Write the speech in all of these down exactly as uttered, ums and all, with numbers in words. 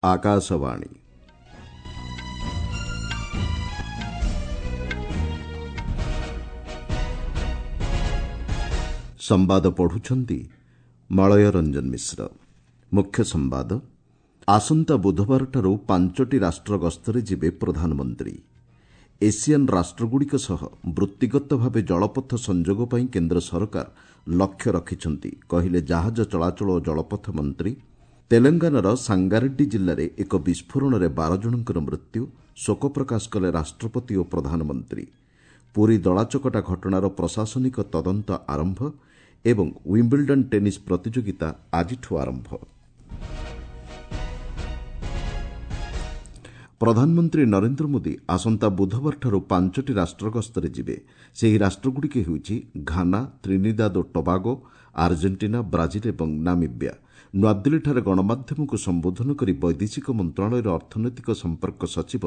ଆକାଶବାଣୀ। ସମ୍ବାଦ ପଢୁଛନ୍ତି ମଳୟ ରଞ୍ଜନ ମିଶ୍ର। ମୁଖ୍ୟ ସମ୍ବାଦ, ଆସନ୍ତା ବୁଧବାରଠାରୁ ପାଞ୍ଚଟି ରାଷ୍ଟ୍ର ଗସ୍ତରେ ଯିବେ ପ୍ରଧାନମନ୍ତ୍ରୀ। ଏସିଆନ୍ ରାଷ୍ଟ୍ରଗୁଡ଼ିକ ସହ ବୃତ୍ତିଗତ ଭାବେ ଜଳପଥ ସଂଯୋଗ ପାଇଁ କେନ୍ଦ୍ର ସରକାର ଲକ୍ଷ୍ୟ ରଖିଛନ୍ତି, କହିଲେ ଜାହାଜ ଚଳାଚଳ ଓ ଜଳପଥ ମନ୍ତ୍ରୀ। ତେଲଙ୍ଗାନାର ସାଙ୍ଗାରେଡ୍ଡି ଜିଲ୍ଲାରେ ଏକ ବିସ୍ଫୋରଣରେ ବାର ଜଣଙ୍କର ମୃତ୍ୟୁ, ଶୋକ ପ୍ରକାଶ କଲେ ରାଷ୍ଟ୍ରପତି ଓ ପ୍ରଧାନମନ୍ତ୍ରୀ। ପୁରୀ ଦଳାଚକଟା ଘଟଣାର ପ୍ରଶାସନିକ ତଦନ୍ତ ଆରମ୍ଭ ଏବଂ ୱିମ୍ବଲଡନ୍ ଟେନିସ୍ ପ୍ରତିଯୋଗିତା ଆଜିଠୁ ଆରମ୍ଭ। ପ୍ରଧାନମନ୍ତ୍ରୀ ନରେନ୍ଦ୍ର ମୋଦି ଆସନ୍ତା ବୁଧବାରଠାରୁ ପାଞ୍ଚଟି ରାଷ୍ଟ୍ର ଗସ୍ତରେ ଯିବେ। ସେହି ରାଷ୍ଟ୍ରଗୁଡ଼ିକ ହେଉଛି ଘାନା, ତ୍ରିନିଦାଦ ଓ ଟବାଗୋ, ଆର୍ଜେଣ୍ଟିନା, ବ୍ରାଜିଲ୍ ଏବଂ ନାମିବ୍ୟା। ନୂଆଦିଲ୍ଲୀଠାରେ ଗଣମାଧ୍ୟମକୁ ସମ୍ବୋଧନ କରି ବୈଦେଶିକ ମନ୍ତ୍ରଣାଳୟର ଅର୍ଥନୈତିକ ସମ୍ପର୍କ ସଚିବ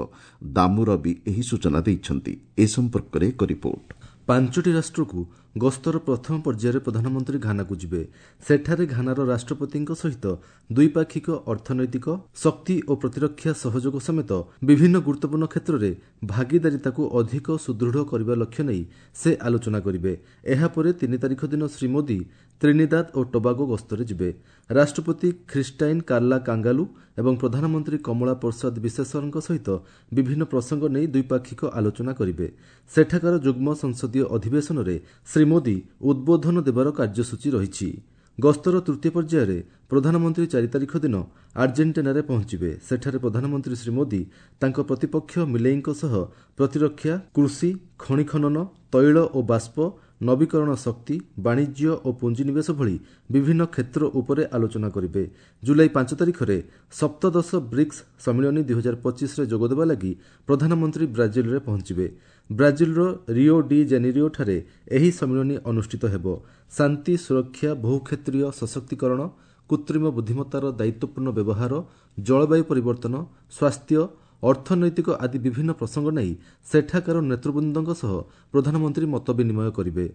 ଦାମୁ ରବି ଏହି ସୂଚନା ଦେଇଛନ୍ତି। ଏ ସମ୍ପର୍କରେ ଏକ ରିପୋର୍ଟ। ପାଞ୍ଚଟି ରାଷ୍ଟ୍ରକୁ ଗସ୍ତର ପ୍ରଥମ ପର୍ଯ୍ୟାୟରେ ପ୍ରଧାନମନ୍ତ୍ରୀ ଘାନାକୁ ଯିବେ। ସେଠାରେ ଘାନାର ରାଷ୍ଟ୍ରପତିଙ୍କ ସହିତ ଦ୍ୱିପାକ୍ଷିକ ଅର୍ଥନୈତିକ, ଶକ୍ତି ଓ ପ୍ରତିରକ୍ଷା ସହଯୋଗ ସମେତ ବିଭିନ୍ନ ଗୁରୁତ୍ୱପୂର୍ଣ୍ଣ କ୍ଷେତ୍ରରେ ଭାଗିଦାରିତାକୁ ଅଧିକ ସୁଦୃଢ଼ କରିବା ଲକ୍ଷ୍ୟ ନେଇ ସେ ଆଲୋଚନା କରିବେ। ଏହାପରେ ତିନି ତାରିଖ ଦିନ ଶ୍ରୀ ମୋଦି ତ୍ରିନିଦାଦ ଓ ଟୋବାଗୋ ଗସ୍ତରେ ଯିବେ। ରାଷ୍ଟ୍ରପତି ଖ୍ରୀଷ୍ଟାଇନ୍ କାର୍ଲା କାଙ୍ଗାଲୁ ଏବଂ ପ୍ରଧାନମନ୍ତ୍ରୀ କମଳା ପ୍ରସାଦ ବିଶେଷରଙ୍କ ସହିତ ବିଭିନ୍ନ ପ୍ରସଙ୍ଗ ନେଇ ଦ୍ୱିପାକ୍ଷିକ ଆଲୋଚନା କରିବେ। ସେଠାକାର ଯୁଗ୍ମ ସଂସଦୀୟ ଅଧିବେଶନରେ ଶ୍ରୀ ମୋଦି ଉଦ୍ବୋଧନ ଦେବାର କାର୍ଯ୍ୟସୂଚୀ ରହିଛି। ଗସ୍ତର ତୃତୀୟ ପର୍ଯ୍ୟାୟରେ ପ୍ରଧାନମନ୍ତ୍ରୀ ଚାରି ତାରିଖ ଦିନ ଆର୍ଜେଣ୍ଟିନାରେ ପହଞ୍ଚିବେ। ସେଠାରେ ପ୍ରଧାନମନ୍ତ୍ରୀ ଶ୍ରୀ ମୋଦି ତାଙ୍କ ପ୍ରତିପକ୍ଷ ମିଲେଇଙ୍କ ସହ ପ୍ରତିରକ୍ଷା, କୃଷି, ଖଣି ଖନନ, ତୈଳ ଓ ବାଷ୍ପ, ନବୀକରଣ ଶକ୍ତି, ବାଣିଜ୍ୟ ଓ ପୁଞ୍ଜିନିବେଶ ଭଳି ବିଭିନ୍ନ କ୍ଷେତ୍ର ଉପରେ ଆଲୋଚନା କରିବେ। ଜୁଲାଇ ପାଞ୍ଚ ତାରିଖରେ ସପ୍ତଦଶ ବ୍ରିକ୍ସ ସମ୍ମିଳନୀ ଦୁଇହଜାର ପଚିଶରେ ଯୋଗଦେବା ଲାଗି ପ୍ରଧାନମନ୍ତ୍ରୀ ବ୍ରାଜିଲରେ ପହଞ୍ଚିବେ। ବ୍ରାଜିଲର ରିଓ ଡି ଜେନେରିଓଠାରେ ଏହି ସମ୍ମିଳନୀ ଅନୁଷ୍ଠିତ ହେବ। ଶାନ୍ତି, ସୁରକ୍ଷା, ବହୁକ୍ଷେତ୍ରୀୟ ସଶକ୍ତିକରଣ, କୃତ୍ରିମ ବୁଦ୍ଧିମତ୍ତାର ଦାୟିତ୍ୱପୂର୍ଣ୍ଣ ବ୍ୟବହାର, ଜଳବାୟୁ ପରିବର୍ତ୍ତନ, ସ୍ୱାସ୍ଥ୍ୟ, ଅର୍ଥନୈତିକ ଆଦି ବିଭିନ୍ନ ପ୍ରସଙ୍ଗ ନେଇ ସେଠାକାର ନେତୃବୃନ୍ଦଙ୍କ ସହ ପ୍ରଧାନମନ୍ତ୍ରୀ ମତ ବିନିମୟ କରିବେ।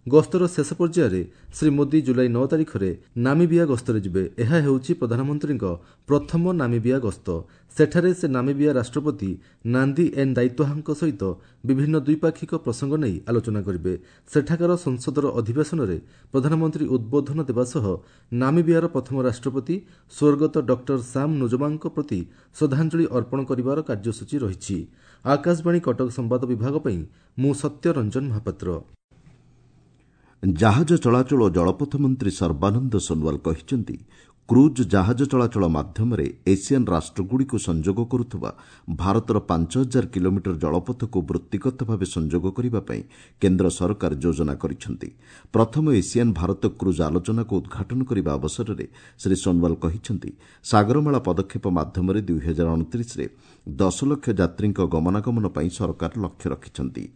ଗସ୍ତର ଶେଷ ପର୍ଯ୍ୟାୟରେ ଶ୍ରୀ ମୋଦି ଜୁଲାଇ ନଅ ତାରିଖରେ ନାମିବିଆ ଗସ୍ତରେ ଯିବେ। ଏହା ହେଉଛି ପ୍ରଧାନମନ୍ତ୍ରୀଙ୍କ ପ୍ରଥମ ନାମିବିଆ ଗସ୍ତ। ସେଠାରେ ସେ ନାମିବିଆ ରାଷ୍ଟ୍ରପତି ନାନ୍ଦି ଏନ୍ ଦାଇତ୍ୱାହାଙ୍କ ସହିତ ବିଭିନ୍ନ ଦ୍ୱିପାକ୍ଷିକ ପ୍ରସଙ୍ଗ ନେଇ ଆଲୋଚନା କରିବେ। ସେଠାକାର ସଂସଦର ଅଧିବେଶନରେ ପ୍ରଧାନମନ୍ତ୍ରୀ ଉଦ୍ବୋଧନ ଦେବା ସହ ନାମିବିଆର ପ୍ରଥମ ରାଷ୍ଟ୍ରପତି ସ୍ୱର୍ଗତ ଡକ୍ଟର ସାମ୍ ନୁଜୋମାଙ୍କ ପ୍ରତି ଶ୍ରଦ୍ଧାଞ୍ଜଳି ଅର୍ପଣ କରିବାର କାର୍ଯ୍ୟସୂଚୀ ରହିଛି। ଆକାଶବାଣୀ କଟକ ସମ୍ବାଦ ବିଭାଗ ପାଇଁ ମୁଁ ସତ୍ୟ ରଞ୍ଜନ ମହାପାତ୍ର। ଜାହାଜ ଚଳାଚଳ ଓ ଜଳପଥ ମନ୍ତ୍ରୀ ସର୍ବାନନ୍ଦ ସୋନୱାଲ କହିଛନ୍ତି, କ୍ରୁଜ୍ ଜାହାଜ ଚଳାଚଳ ମାଧ୍ୟମରେ ଏସିଆନ୍ ରାଷ୍ଟ୍ରଗୁଡ଼ିକୁ ସଂଯୋଗ କରୁଥିବା ଭାରତର ପାଞ୍ଚ ହଜାର କିଲୋମିଟର ଜଳପଥକୁ ବୃତ୍ତିଗତ ଭାବେ ସଂଯୋଗ କରିବା ପାଇଁ କେନ୍ଦ୍ର ସରକାର ଯୋଜନା କରିଛନ୍ତି। ପ୍ରଥମ ଏସିଆନ୍ ଭାରତ କ୍ରୁଜ୍ ଆଲୋଚନାକୁ ଉଦ୍ଘାଟନ କରିବା ଅବସରରେ ଶ୍ରୀ ସୋନୱାଲ କହିଛନ୍ତି, ସାଗରମାଳା ପଦକ୍ଷେପ ମାଧ୍ୟମରେ ଦୁଇହଜାର ଅଣତିରିଶରେ ଦଶ ଲକ୍ଷ ଯାତ୍ରୀଙ୍କ ଗମନାଗମନ ପାଇଁ ସରକାର ଲକ୍ଷ୍ୟ ରଖିଛନ୍ତି।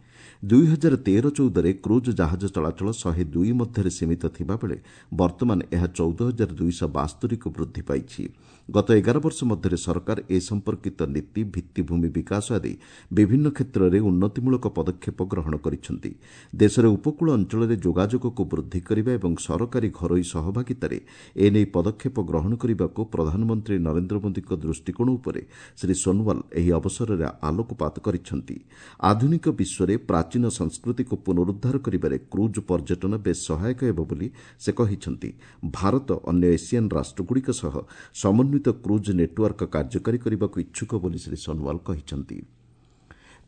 ଦୁଇହଜାର ତେର ଚଉଦରେ କ୍ରୁଜ୍ ଜାହାଜ ଚଳାଚଳ ଶହେ ଦୁଇ ମଧ୍ୟରେ ସୀମିତ ଥିବାବେଳେ ବର୍ତ୍ତମାନ ଏହା ଚଉଦ ହଜାର ଦୁଇଶହ ବାସ୍ତରୀକୁ ବୃଦ୍ଧି ପାଇଛି। ଗତ ଏଗାର ବର୍ଷ ମଧ୍ୟରେ ସରକାର ଏ ସମ୍ପର୍କିତ ନୀତି, ଭିତ୍ତିଭୂମି ବିକାଶ ଆଦି ବିଭିନ୍ନ କ୍ଷେତ୍ରରେ ଉନ୍ନତିମୂଳକ ପଦକ୍ଷେପ ଗ୍ରହଣ କରିଛନ୍ତି। ଦେଶରେ ଉପକୂଳ ଅଞ୍ଚଳରେ ଯୋଗାଯୋଗକୁ ବୃଦ୍ଧି କରିବା ଏବଂ ସରକାରୀ ଘରୋଇ ସହଭାଗିତାରେ ଏନେଇ ପଦକ୍ଷେପ ଗ୍ରହଣ କରିବାକୁ ପ୍ରଧାନମନ୍ତ୍ରୀ ନରେନ୍ଦ୍ର ମୋଦିଙ୍କ ଦୃଷ୍ଟିକୋଣ ଉପରେ ଶ୍ରୀ ସୋନୱାଲ ଏହି ଅବସରରେ ଆଲୋକପାତ କରିଛନ୍ତି। ଆଧୁନିକ ବିଶ୍ୱରେ ପ୍ରାଚୀନ ସଂସ୍କୃତିକୁ ପୁନରୁଦ୍ଧାର କରିବାରେ କ୍ରୁଜ୍ ପର୍ଯ୍ୟଟନ ବେଶ୍ ସହାୟକ ହେବ ବୋଲି ସେ କହିଛନ୍ତି। ଭାରତ ଅନ୍ୟ ଏସିଆନ୍ ରାଷ୍ଟ୍ରଗୁଡ଼ିକ ସହ ସମନ୍ୱିତ କ୍ରୁଜ୍ ନେଟୱାର୍କ କାର୍ଯ୍ୟକାରୀ କରିବାକୁ ଇଚ୍ଛୁକ ବୋଲି ଶ୍ରୀ ସୋନୱାଲ କହିଛନ୍ତି।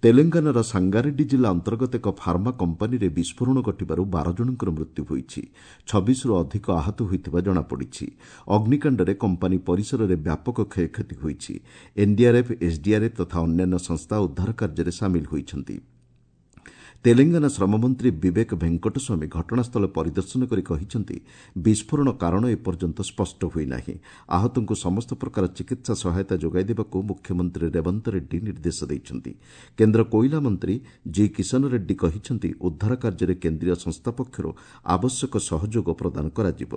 ତେଲେଙ୍ଗାନାର ସାଙ୍ଗାରେଡ୍ଡି ଜିଲ୍ଲା ଅନ୍ତର୍ଗତ ଏକ ଫାର୍ମା କମ୍ପାନୀରେ ବିସ୍ଫୋରଣ ଘଟିବାରୁ ବାର ଜଣଙ୍କର ମୃତ୍ୟୁ ହୋଇଛି। ଛବିଶରୁ ଅଧିକ ଆହତ ହୋଇଥିବା ଜଣାପଡ଼ିଛି। ଅଗ୍ନିକାଣ୍ଡରେ କମ୍ପାନୀ ପରିସରରେ ବ୍ୟାପକ କ୍ଷୟକ୍ଷତି ହୋଇଛି। ଏନ୍ଡିଆର୍ଏଫ୍, ଏସ୍ଡିଆର୍ଏଫ୍ ତଥା ଅନ୍ୟାନ୍ୟ ସଂସ୍ଥା ଉଦ୍ଧାର କାର୍ଯ୍ୟରେ ସାମିଲ ହୋଇଛନ୍ତି। ତେଲେଙ୍ଗାନା ଶ୍ରମମନ୍ତ୍ରୀ ବିବେକ ଭେଙ୍କଟସ୍ୱାମୀ ଘଟଣାସ୍ଥଳ ପରିଦର୍ଶନ କରି କହିଛନ୍ତି, ବିସ୍ଫୋରଣ କାରଣ ଏପର୍ଯ୍ୟନ୍ତ ସ୍ପଷ୍ଟ ହୋଇନାହିଁ। ଆହତଙ୍କୁ ସମସ୍ତ ପ୍ରକାର ଚିକିତ୍ସା ସହାୟତା ଯୋଗାଇ ଦେବାକୁ ମୁଖ୍ୟମନ୍ତ୍ରୀ ରେବନ୍ତ ରେଡ୍ଡି ନିର୍ଦ୍ଦେଶ ଦେଇଛନ୍ତି। କେନ୍ଦ୍ର କୋଇଲା ମନ୍ତ୍ରୀ ଜି କିଶନ ରେଡ୍ଡି କହିଛନ୍ତି, ଉଦ୍ଧାର କାର୍ଯ୍ୟରେ କେନ୍ଦ୍ରୀୟ ସଂସ୍ଥା ପକ୍ଷରୁ ଆବଶ୍ୟକ ସହଯୋଗ ପ୍ରଦାନ କରାଯିବ।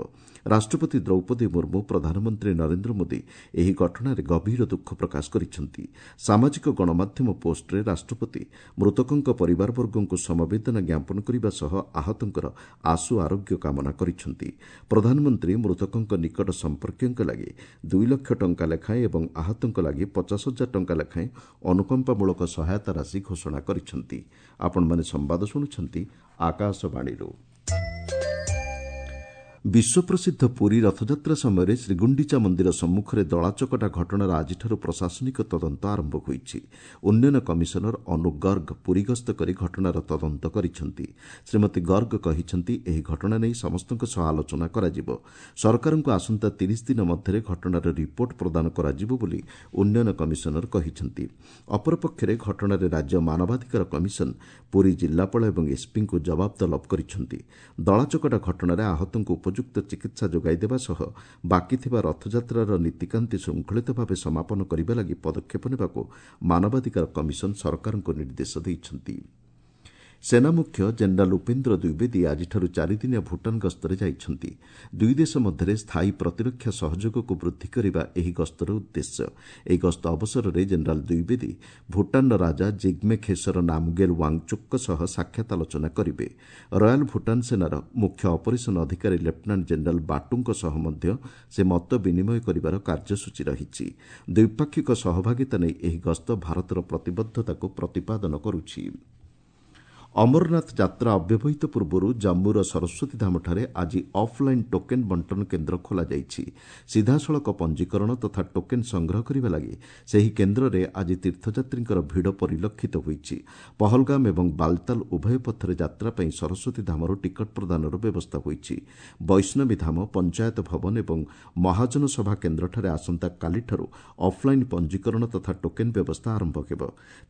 ରାଷ୍ଟ୍ରପତି ଦ୍ରୌପଦୀ ମୁର୍ମୁ, ପ୍ରଧାନମନ୍ତ୍ରୀ ନରେନ୍ଦ୍ର ମୋଦି ଏହି ଘଟଣାରେ ଗଭୀର ଦୁଃଖ ପ୍ରକାଶ କରିଛନ୍ତି। ସାମାଜିକ ଗଣମାଧ୍ୟମ ପୋଷ୍ଟରେ ରାଷ୍ଟ୍ରପତି ମୃତକଙ୍କ ପରିବାରବର୍ଗଙ୍କୁ ମୃତକଙ୍କୁ ସମବେଦନା ଜ୍ଞାପନ କରିବା ସହ ଆହତଙ୍କର ଆଶୁ ଆରୋଗ୍ୟ କାମନା କରିଛନ୍ତି। ପ୍ରଧାନମନ୍ତ୍ରୀ ମୃତକଙ୍କ ନିକଟ ସମ୍ପର୍କୀୟଙ୍କ ଲାଗି ଦୁଇ ଲକ୍ଷ ଟଙ୍କା ଲେଖାଏଁ ଏବଂ ଆହତଙ୍କ ଲାଗି ପଚାଶ ହଜାର ଟଙ୍କା ଲେଖାଏଁ ଅନୁକମ୍ପାମୂଳକ ସହାୟତା ରାଶି ଘୋଷଣା କରିଛନ୍ତି। ଆପଣମାନେ ସମ୍ବାଦ ଶୁଣୁଛନ୍ତି ଆକାଶବାଣୀରୁ। ବିଶ୍ୱପ୍ରସିଦ୍ଧ ପୁରୀ ରଥଯାତ୍ରା ସମୟରେ ଶ୍ରୀଗୁଣ୍ଡିଚା ମନ୍ଦିର ସମ୍ମୁଖରେ ଦଳାଚକଟା ଘଟଣାର ଆଜିଠାରୁ ପ୍ରଶାସନିକ ତଦନ୍ତ ଆରମ୍ଭ ହୋଇଛି। ଉନ୍ନୟନ କମିଶନର ଅନୁ ଗର୍ଗ ପୁରୀ ଗସ୍ତ କରି ଘଟଣାର ତଦନ୍ତ କରିଛନ୍ତି। ଶ୍ରୀମତୀ ଗର୍ଗ କହିଛନ୍ତି, ଏହି ଘଟଣା ନେଇ ସମସ୍ତଙ୍କ ସହ ଆଲୋଚନା କରାଯିବ। ସରକାରଙ୍କୁ ଆସନ୍ତା ତିରିଶ ଦିନ ମଧ୍ୟରେ ଘଟଣାର ରିପୋର୍ଟ ପ୍ରଦାନ କରାଯିବ ବୋଲି ଉନ୍ନୟନ କମିଶନର କହିଛନ୍ତି। ଅପରପକ୍ଷରେ ଘଟଣାରେ ରାଜ୍ୟ ମାନବାଧିକାର କମିଶନ ପୁରୀ ଜିଲ୍ଲାପାଳ ଏବଂ ଏସ୍ପିଙ୍କୁ ଜବାବ ତଲବ କରିଛନ୍ତି। ଦଳାଚକଟା ଘଟଣାରେ ଆହତଙ୍କୁ ଉପଯୁକ୍ତ ଚିକିତ୍ସା ଯୋଗାଇ ଦେବା ସହ ବାକି ଥିବା ରଥଯାତ୍ରାର ନୀତିକାନ୍ତି ଶୃଙ୍ଖଳିତ ଭାବେ ସମାପନ କରିବା ଲାଗି ପଦକ୍ଷେପ ନେବାକୁ ମାନବାଧିକାର କମିଶନ ସରକାରଙ୍କୁ ନିର୍ଦ୍ଦେଶ ଦେଇଛନ୍ତି। ସେନା ମୁଖ୍ୟ ଜେନେରାଲ୍ ଉପେନ୍ଦ୍ର ଦ୍ୱିବେଦୀ ଆଜିଠାରୁ ଚାରିଦିନିଆ ଭୁଟାନ ଗସ୍ତରେ ଯାଇଛନ୍ତି। ଦୁଇ ଦେଶ ମଧ୍ୟରେ ସ୍ଥାୟୀ ପ୍ରତିରକ୍ଷା ସହଯୋଗକୁ ବୃଦ୍ଧି କରିବା ଏହି ଗସ୍ତର ଉଦ୍ଦେଶ୍ୟ। ଏହି ଗସ୍ତ ଅବସରରେ ଜେନେରାଲ୍ ଦ୍ୱିବେଦୀ ଭୁଟାନର ରାଜା ଜିଗ୍ମେ ଖେସର ନାମଗେଲ୍ ୱାଙ୍ଗଚୁକ୍ଙ୍କ ସହ ସାକ୍ଷାତ ଆଲୋଚନା କରିବେ। ରୟାଲ୍ ଭୁଟାନ ସେନାର ମୁଖ୍ୟ ଅପରେସନ୍ ଅଧିକାରୀ ଲେଫ୍ଟନାଣ୍ଟ ଜେନେରାଲ୍ ବାଟୁଙ୍କ ସହ ମଧ୍ୟ ସେ ମତ ବିନିମୟ କରିବାର କାର୍ଯ୍ୟସୂଚୀ ରହିଛି। ଦ୍ୱିପାକ୍ଷିକ ସହଭାଗିତା ନେଇ ଏହି ଗସ୍ତ ଭାରତର ପ୍ରତିବଦ୍ଧତାକୁ ପ୍ରତିପାଦନ କରୁଛି। ଅମରନାଥ ଯାତ୍ରା ଅବ୍ୟବହିତ ପୂର୍ବରୁ ଜାମ୍ମୁର ସରସ୍ୱତୀ ଧାମଠାରେ ଆଜି ଅଫ୍ଲାଇନ୍ ଟୋକେନ୍ ବଣ୍ଟନ କେନ୍ଦ୍ର ଖୋଲାଯାଇଛି। ସିଧାସଳଖ ପଞ୍ଜୀକରଣ ତଥା ଟୋକେନ୍ ସଂଗ୍ରହ କରିବା ଲାଗି ସେହି କେନ୍ଦ୍ରରେ ଆଜି ତୀର୍ଥଯାତ୍ରୀଙ୍କର ଭିଡ଼ ପରିଲକ୍ଷିତ ହୋଇଛି। ପହଲଗାମ ଏବଂ ବାଲତାଲ ଉଭୟ ପଥରେ ଯାତ୍ରା ପାଇଁ ସରସ୍ୱତୀ ଧାମରୁ ଟିକଟ ପ୍ରଦାନର ବ୍ୟବସ୍ଥା ହୋଇଛି। ବୈଷ୍ଣବୀ ଧାମ, ପଞ୍ଚାୟତ ଭବନ ଏବଂ ମହାଜନ ସଭା କେନ୍ଦ୍ରଠାରେ ଆସନ୍ତାକାଲିଠାରୁ ଅଫ୍ଲାଇନ୍ ପଞ୍ଜୀକରଣ ତଥା ଟୋକେନ୍ ବ୍ୟବସ୍ଥା ଆରମ୍ଭ ହେବ।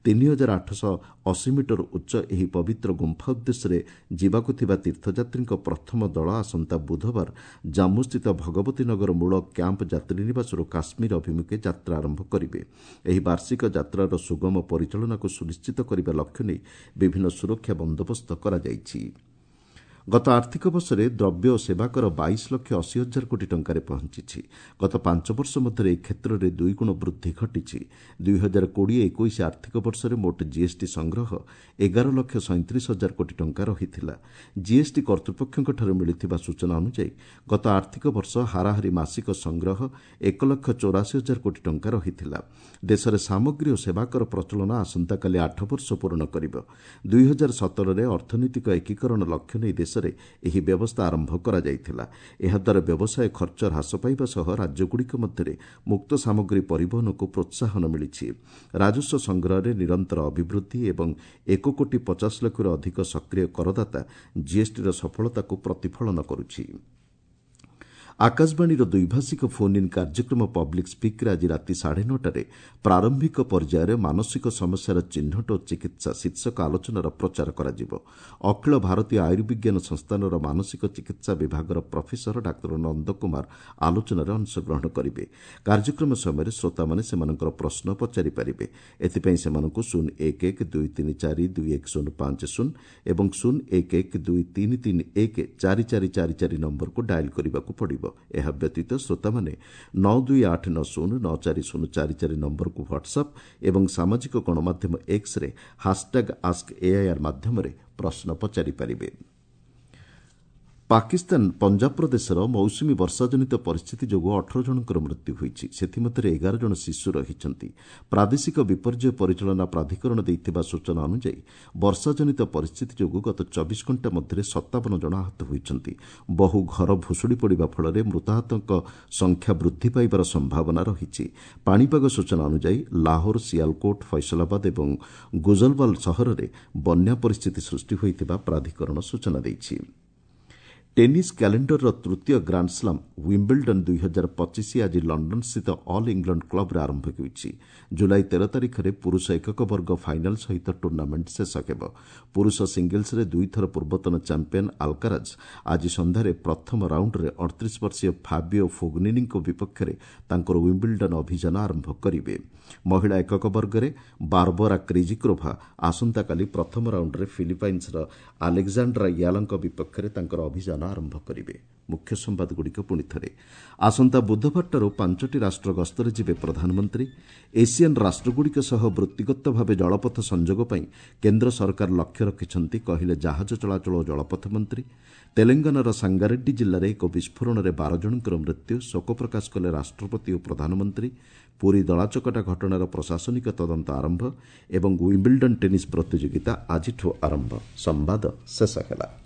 ତିନି ହଜାର ଆଠଶହ ଅଶୀ ମିଟର ଉଚ୍ଚ ଏହି ପବିତ୍ର ଗୁମ୍ଫା ଉଦ୍ଦେଶ୍ୟରେ ଯିବାକୁ ଥିବା ତୀର୍ଥଯାତ୍ରୀଙ୍କ ପ୍ରଥମ ଦଳ ଆସନ୍ତା ବୁଧବାର ଜାମ୍ମୁସ୍ଥିତ ଭଗବତୀ ନଗର ମୂଳ କ୍ୟାମ୍ପ ଯାତ୍ରୀନିବାସରୁ କାଶ୍ମୀର ଅଭିମୁଖେ ଯାତ୍ରା ଆରମ୍ଭ କରିବେ। ଏହି ବାର୍ଷିକ ଯାତ୍ରାର ସୁଗମ ପରିଚାଳନାକୁ ସୁନିଶ୍ଚିତ କରିବା ଲକ୍ଷ୍ୟ ନେଇ ବିଭିନ୍ନ ସୁରକ୍ଷା ବନ୍ଦୋବସ୍ତ କରାଯାଇଛି। ଗତ ଆର୍ଥିକ ବର୍ଷରେ ଦ୍ରବ୍ୟ ଓ ସେବାକର ବାଇଶ ଲକ୍ଷ ଅଶୀ ହଜାର କୋଟି ଟଙ୍କାରେ ପହଞ୍ଚିଛି। ଗତ ପାଞ୍ଚ ବର୍ଷ ମଧ୍ୟରେ ଏହି କ୍ଷେତ୍ରରେ ଦୁଇଗୁଣ ବୃଦ୍ଧି ଘଟିଛି। ଦୁଇ ହଜାର କୋଡ଼ିଏ ଏକୋଇଶ ଆର୍ଥିକ ବର୍ଷରେ ମୋଟ ଜିଏସ୍ଟି ସଂଗ୍ରହ ଏଗାର ଲକ୍ଷ ସଇଁତିରିଶ ହଜାର କୋଟି ଟଙ୍କା ରହିଥିଲା। ଜିଏସ୍ଟି କର୍ତ୍ତୃପକ୍ଷଙ୍କଠାରୁ ମିଳିଥିବା ସୂଚନା ଅନୁଯାୟୀ ଗତ ଆର୍ଥିକ ବର୍ଷ ହାରାହାରି ମାସିକ ସଂଗ୍ରହ ଏକ ଲକ୍ଷ ଚଉରାଅଶୀ ହଜାର କୋଟି ଟଙ୍କା ରହିଥିଲା। ଦେଶରେ ସାମଗ୍ରୀ ଓ ସେବାକର ପ୍ରଚଳନ ଆସନ୍ତାକାଲି ଆଠ ବର୍ଷ ପୂରଣ କରିବ। ଦୁଇ ହଜାର ସତରରେ ଅର୍ଥନୈତିକ ଏକୀକରଣ ଲକ୍ଷ୍ୟ ନେଇ ଦେଶ ଏହି ବ୍ୟବସ୍ଥା ଆରମ୍ଭ କରାଯାଇଥିଲା। ଏହାଦ୍ୱାରା ବ୍ୟବସାୟ ଖର୍ଚ୍ଚ ହ୍ରାସ ପାଇବା ସହ ରାଜ୍ୟଗୁଡ଼ିକ ମଧ୍ୟରେ ମୁକ୍ତ ସାମଗ୍ରୀ ପରିବହନକୁ ପ୍ରୋତ୍ସାହନ ମିଳିଛି। ରାଜସ୍ୱ ସଂଗ୍ରହରେ ନିରନ୍ତର ଅଭିବୃଦ୍ଧି ଏବଂ ଏକ କୋଟି ପଚାଶ ଲକ୍ଷରୁ ଅଧିକ ସକ୍ରିୟ କରଦାତା ଜିଏସ୍ଟିର ସଫଳତାକୁ ପ୍ରତିଫଳନ କରୁଛି। ଆକାଶବାଣୀର ଦ୍ୱିଭାଷିକ ଫୋନ୍ ଇନ୍ କାର୍ଯ୍ୟକ୍ରମ ପବ୍ଲିକ୍ ସ୍ପିକ୍ରେ ଆଜି ରାତି ସାଢ଼େ ନଅଟାରେ ପ୍ରାରମ୍ଭିକ ପର୍ଯ୍ୟାୟରେ ମାନସିକ ସମସ୍ୟାର ଚିହ୍ନଟ ଓ ଚିକିତ୍ସା ଶୀର୍ଷକ ଆଲୋଚନାର ପ୍ରଚାର କରାଯିବ। ଅଖିଳ ଭାରତୀୟ ଆୟୁର୍ବିଜ୍ଞାନ ସଂସ୍ଥାନର ମାନସିକ ଚିକିତ୍ସା ବିଭାଗର ପ୍ରଫେସର ଡାକ୍ତର ନନ୍ଦ କୁମାର ଆଲୋଚନାରେ ଅଂଶଗ୍ରହଣ କରିବେ। କାର୍ଯ୍ୟକ୍ରମ ସମୟରେ ଶ୍ରୋତାମାନେ ସେମାନଙ୍କର ପ୍ରଶ୍ନ ପଚାରିପାରିବେ। ଏଥିପାଇଁ ସେମାନଙ୍କୁ ଶୂନ ଏକ ଏକ ଦୁଇ ତିନି ଚାରି ଦୁଇ ଏକ ଶୂନ ପାଞ୍ଚ ଶୂନ ଏବଂ ଶୂନ ଏକ ଏକ ଦୁଇ ତିନି ତିନି ଏକ ଚାରି ଚାରି ଚାରି ଚାରି ନମ୍ବରକୁ ଡାଏଲ୍ କରିବାକୁ ପଡ଼ିବ। ଏହା ବ୍ୟତୀତ ଶ୍ରୋତାମାନେ ନଅ ଦୁଇ ଆଠ ନଅ ଶୂନ ନଅ ଚାରି ଶୂନ ଚାରି ଚାରି ନମ୍ବରକୁ ହ୍ୱାଟ୍ସଆପ୍ ଏବଂ ସାମାଜିକ ଗଣମାଧ୍ୟମ ଏକ୍ସରେ ହାସ୍ଟ୍ୟାଗ୍ ଆସ୍କ ଏଆଇଆର୍ ମାଧ୍ୟମରେ ପ୍ରଶ୍ନ ପଚାରିପାରିବେ। ପାକିସ୍ତାନ ପଞ୍ଜାବ ପ୍ରଦେଶର ମୌସୁମୀ ବର୍ଷାଜନିତ ପରିସ୍ଥିତି ଯୋଗୁଁ ଅଠର ଜଣଙ୍କର ମୃତ୍ୟୁ ହୋଇଛି। ସେଥିମଧ୍ୟରେ ଏଗାର ଜଣ ଶିଶୁ ରହିଛନ୍ତି। ପ୍ରାଦେଶିକ ବିପର୍ଯ୍ୟୟ ପରିଚାଳନା ପ୍ରାଧିକରଣ ଦେଇଥିବା ସୂଚନା ଅନୁଯାୟୀ ବର୍ଷାଜନିତ ପରିସ୍ଥିତି ଯୋଗୁଁ ଗତ ଚବିଶ ଘଣ୍ଟା ମଧ୍ୟରେ ସତାବନ ଜଣ ଆହତ ହୋଇଛନ୍ତି। ବହୁ ଘର ଭୁଶୁଡ଼ି ପଡ଼ିବା ଫଳରେ ମୃତାହତଙ୍କ ସଂଖ୍ୟା ବୃଦ୍ଧି ପାଇବାର ସମ୍ଭାବନା ରହିଛି। ପାଣିପାଗ ସୂଚନା ଅନୁଯାୟୀ ଲାହୋର, ସିଆଲକୋଟ, ଫୈସଲାବାଦ ଏବଂ ଗୁଜଲୱାଲ ସହରରେ ବନ୍ୟା ପରିସ୍ଥିତି ସୃଷ୍ଟି ହୋଇଥିବା ପ୍ରାଧିକରଣ ସୂଚନା ଦେଇଛି। ଟେନିସ୍ କ୍ୟାଲେଣ୍ଡରର ତୃତୀୟ ଗ୍ରାଣ୍ଡସ୍ଲାମ୍ ୱିମ୍ବଲଡନ୍ ଦୁଇ ହଜାର ପଚିଶ ଆଜି ଲଣ୍ଡନସ୍ଥିତ ଅଲ୍ ଇଂଲଣ୍ଡ କ୍ଲବ୍ରେ ଆରମ୍ଭ ହେଉଛି। ଜୁଲାଇ ତେର ତାରିଖରେ ପୁରୁଷ ଏକକ ବର୍ଗ ଫାଇନାଲ୍ ସହିତ ଟୁର୍ଣ୍ଣାମେଣ୍ଟ ଶେଷ ହେବ। ପୁରୁଷ ସିଙ୍ଗଲ୍ସରେ ଦୁଇଥର ପୂର୍ବତନ ଚାମ୍ପିୟନ୍ ଆଲ୍କାରାଜ୍ ଆଜି ସନ୍ଧ୍ୟାରେ ପ୍ରଥମ ରାଉଣ୍ଡରେ ଅଠତିରିଶ ବର୍ଷୀୟ ଫାବିଓ ଫୋଗ୍ନିନିଙ୍କ ବିପକ୍ଷରେ ତାଙ୍କର ୱିମ୍ବଲଡନ୍ ଅଭିଯାନ ଆରମ୍ଭ କରିବେ। ମହିଳା ଏକକ ବର୍ଗରେ ବାର୍ବରା କ୍ରେଜିକ୍ରୋଭା ଆସନ୍ତାକାଲି ପ୍ରଥମ ରାଉଣ୍ଡରେ ଫିଲିପାଇନ୍ସର ଆଲେକ୍ଜାଣ୍ଡ୍ରା ୟାଲଙ୍କ ବିପକ୍ଷରେ ତାଙ୍କର ଅଭିଯାନ ଆରମ୍ଭ କରିବେ। ମୁଖ୍ୟ ସମ୍ବାଦଗୁଡ଼ିକ ପୁଣି ଥରେ। ଆସନ୍ତା ବୁଧବାରଠାରୁ ପାଞ୍ଚଟି ରାଷ୍ଟ୍ର ଗସ୍ତରେ ଯିବେ ପ୍ରଧାନମନ୍ତ୍ରୀ। ଏସିଆନ୍ ରାଷ୍ଟ୍ରଗୁଡ଼ିକ ସହ ବୃତ୍ତିଗତ ଭାବେ ଜଳପଥ ସଂଯୋଗ ପାଇଁ କେନ୍ଦ୍ର ସରକାର ଲକ୍ଷ୍ୟ ରଖିଛନ୍ତି, କହିଲେ ଜାହାଜ ଚଳାଚଳ ଓ ଜଳପଥ ମନ୍ତ୍ରୀ। ତେଲେଙ୍ଗାନାର ସାଙ୍ଗାରେଡ୍ଡି ଜିଲ୍ଲାରେ ଏକ ବିସ୍ଫୋରଣରେ ବାର ଜଣଙ୍କର ମୃତ୍ୟୁ, ଶୋକ ପ୍ରକାଶ କଲେ ରାଷ୍ଟ୍ରପତି ଓ ପ୍ରଧାନମନ୍ତ୍ରୀ। ପୁରୀ ଦଳାଚକଟା ଘଟଣାର ପ୍ରଶାସନିକ ତଦନ୍ତ ଆରମ୍ଭ ଏବଂ ୱିମ୍ବିଲ୍ଡନ୍ ଟେନିସ୍ ପ୍ରତିଯୋଗିତା ଆଜିଠୁ ଆରମ୍ଭ। ସମ୍ବାଦ ଶେଷ ହେଲା।